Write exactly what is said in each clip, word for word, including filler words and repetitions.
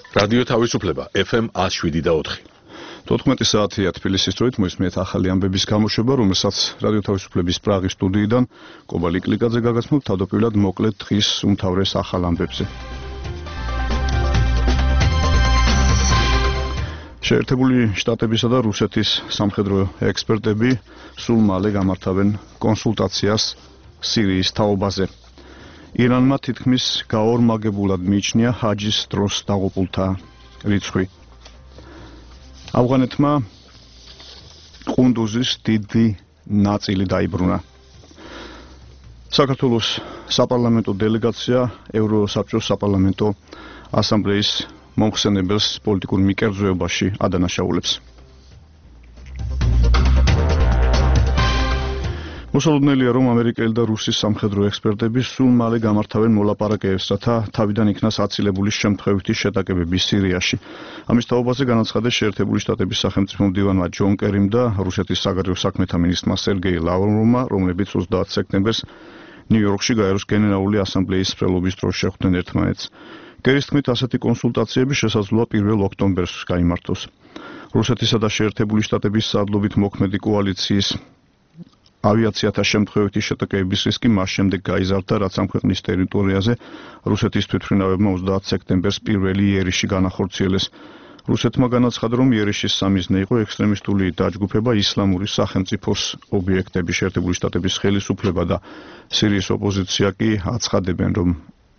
რადიო თავისუფლება ეფ ემ one oh seven და four. თოთხმეტი საათია თბილისის დროით მოისმენთ ახალი ამბების გამოშვება, რომელსაც რადიო თავისუფლების პრაღის სტუდიიდან კობალი კლიკაძე გაგაცნობთ თავდაპირველად მოკლედ დღის უმთავრეს ახალ ამბებზე. შეერთებული შტატებისა და რუსეთის სამხედრო ექსპერტები სულ მალე გამართავენ კონსულტაციას სირიის თაობაზე. ირანმა თითქმის გაორმაგებულად მიიჩნია ჰაჯის დროს დაღუპულთა რიცხვი. ავღანეთმა ყუნდუზის დიდი ნაწილი დაიბრუნა. საქართველოს საპარლამენტო დელეგაცია ევროსაბჭოს საპარლამენტო ასამბლეის მომხსენებელს პოლიტიკურ მიკერძოებაში ადანაშაულებს. მოსალოდნელია, რომ ამერიკელი და რუსის სამხედრო ექსპერტები სულ მალე გამართავენ მოლაპარაკებებს, რათა თავიდან იქნას აცილებული შემთხვევითი შეტაკებები სირიაში. ამის თაობაზე განაცხადეს შეერთებული შტატების სახელმწიფო მდივანმა ჯონ კერიმ და რუსეთის საგარეო საქმეთა მინისტრმა სერგეი ლავროვმა, რომლებიც ოცდაათ სექტემბერს ნიუ-იორკში გაეროს გენერალური ასამბლეის სრელობის დროს შეხვდნენ ერთმანეთს. კერის თქმით, ასეთი კონსულტაციები შესაძლოა პირველ ოქტომბერს გაიმართოს. რუსეთისა და შეერთებული შტატების სარდლობით მოქმედი კოალიციის ავიაციათა შემთხვევითი შეტაკებების რისკი მას შემდეგ გაიზარდა, რაც ამ ქვეყნის ტერიტორიაზე რუსეთის თვითმფრინავებმა ოცდაათ სექტემბერს პირველი იერიში განახორციელეს. რუსეთმა განაცხადა, რომ იერიშის სამიზნე იყო ექსტრემისტული დაჯგუფება ისლამური სახელმწიფოს ობიექტები. შეერთებული შტატების ხელისუფლება და სირიის ოპოზიცია კი აცხადებენ, რომ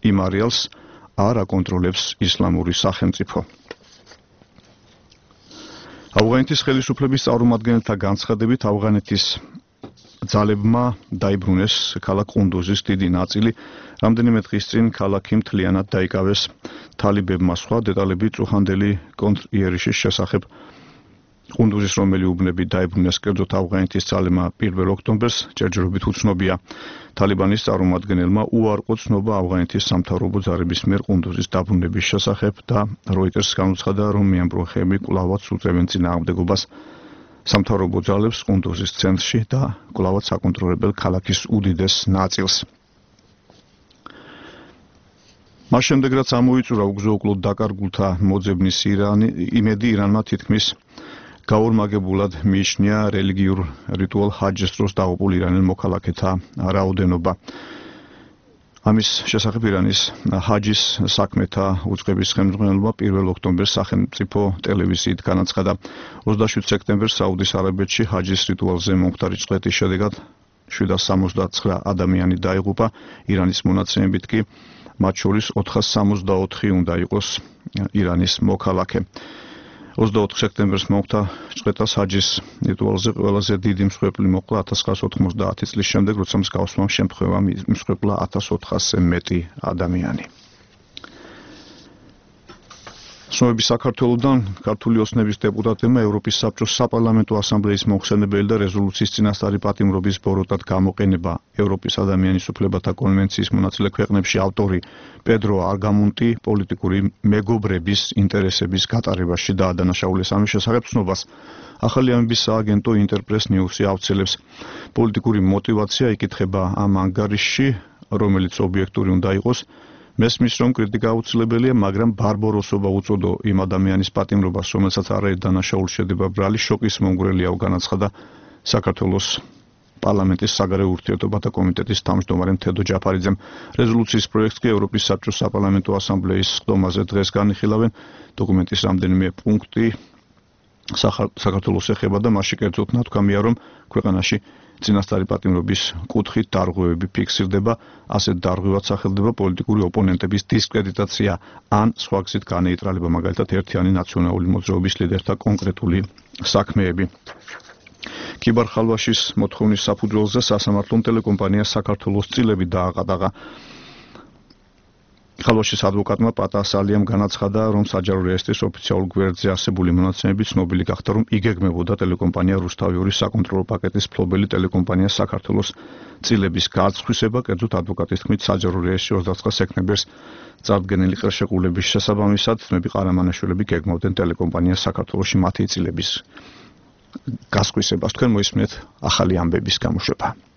იმ არეალს არ აკონტროლებს ისლამური სახელმწიფო. ავღანეთის ხელისუფლების წარმომადგენელთა განცხადებით, ავღანეთის ძალებმა დაიბრუნეს ქალაქ ყუნდუზის დიდი ნაწილი, რამდენიმე დღის წინ ქალაქი მთლიანად დაიკავეს თალიბებმა. სხვა დეტალები წუხანდელი კონტრიერიშის შესახებ. ყუნდუზის რომელი უბნები დაიბრუნეს კერძოდ ავღანეთის ძალებმა პირველ ოქტომბერს ჯერჯერობით უცნობია. თალიბანის წარმომადგენელმა უარყო ცნობა ავღანეთის სამთავრობო ძალების მიერ ყუნდუზის დაბრუნების შესახებ და როიტერს განუცხადა, რომ მეამბრუნხეები კვლავაც უწევენ წინააღმდეგობას სამთავრობო ძალებს ყუნდუზის ცენტრში და კვლავაც აკონტროლებელ ქალაქის უდიდეს ნაწილს. მას შემდეგ, რაც ამოიწურა უგზო-უკლოდ დაკარგულთა მოძებნის ირანი, იმედი ირანმა თითქმის გაორმაგებულად მიიჩნია რელიგიურ რიტუალ ჰაჯის დროს დაღუპულ ირანელ მოქალაქეთა რაოდენობა. ამის შესახებ ირანის ჰაჯის საქმეთა უწყების ხელმძღვანელობა პირველ ოქტომბერს სახელმწიფო ტელევიზიით განაცხადა. ოცდაშვიდ სექტემბერს საუდის არაბეთში ჰაჯის რიტუალზე მომხდარი წვეთის შედეგად შვიდას სამოცდათსამი ადამიანი დაიღუპა. ირანის მონაცემებით კი მათ შორის ოთხას სამოცდაოთხი უნდა იყოს ირანის მოქალაქე. ოცდაოთხ სექტემბერს მომხდა წვეთას ჰაჯის რიტუალზე ყველაზე დიდი მსხვერპლი მოყვა ათას ცხრაასი ოთხმოცდაათი წლის შემდეგ, როცა მსგავსმა შემთხვევამ მსხვერპლა ათას ოთხასზე მეტი ადამიანი. ცნობები საქართველოდან ქართული ოცნების დეპუტატებმა ევროპის საბჭოს საპარლამენტო ასამბლეის მომხსენებელი და რეზოლუციის წინასწარი პატიმრობის ბოროტად გამოყენება ევროპის ადამიანის უფლებათა კონვენციის მონაწილე ქვეყნებში ავტორი პედრო არგამონტი პოლიტიკური მეგობრების ინტერესების გატარებაში დაადანაშაულეს. ამის შესახებ ცნობას ახალი ამბების სააგენტო ინტერპრეს ნიუსი ავრცელებს. პოლიტიკური მოტივაცია იკითხება ამ ანგარიშში, რომელიც ობიექტური უნდა იყოს. მესმის, რომ კრიტიკა აუცილებელია, მაგრამ ბარბაროსობა უწოდო იმ ადამიანის პატიმრობას, რომელსაც არაერთ დანაშაულს შედება ბრალი, შოკის მომგვრელიაო, განაცხადა საქართველოს პარლამენტის საგარეო ურთიერთობათა კომიტეტის თავმჯდომარე თედო ჯაფარიძემ. რეზოლუციის პროექტს კი ევროპის საბჭოს საპარლამენტო ასამბლეის სხდომაზე დღეს განიხილავენ. დოკუმენტის რამდენიმე პუნქტი საქართველოს ეხება და მასში კერძოდ ნათქვამია, რომ ქვეყანაში წინასწარი პატიმრობის კუთხით დარღვევები ფიქსირდება, ასეთ დარღვევად სახელდება პოლიტიკური ოპონენტების დისკრედიტაცია ან სხვა გზით განეიტრალება, მაგალითად ერთიანი ნაციონალური მოძრაობის ლიდერთა კონკრეტული საქმეები. კიბარ ხალვაშის მოთხოვნის საფუძველზე სასამართლომ ტელეკომპანია საქართველოს წილები დააყადაღა. ხალვაშის ადვოკატმა პატა სალიამ განაცხადა, რომ საჯარო რეესტრის ოფიციალურ გვერდზე არსებული მონაცემები ცნობილი გახდა, რომ იგეგმებოდა ტელეკომპანია რუსთავიორის საკონტროლო პაკეტის მფლობელი ტელეკომპანია საქართველოს წილების გაწხვისება. კერძოდ ადვოკატის თქმით, საჯარო რეესტრი ოცდაათს სექტემბერს წარდგენილი ხელშეკრულების შესაბამისად ძმები ყარამანაშვილები გეგმავდნენ ტელეკომპანია საქართველოში მათი წილების გასხვისებას. თქვენ მოისმენთ ახალი ამბების გამოშვება.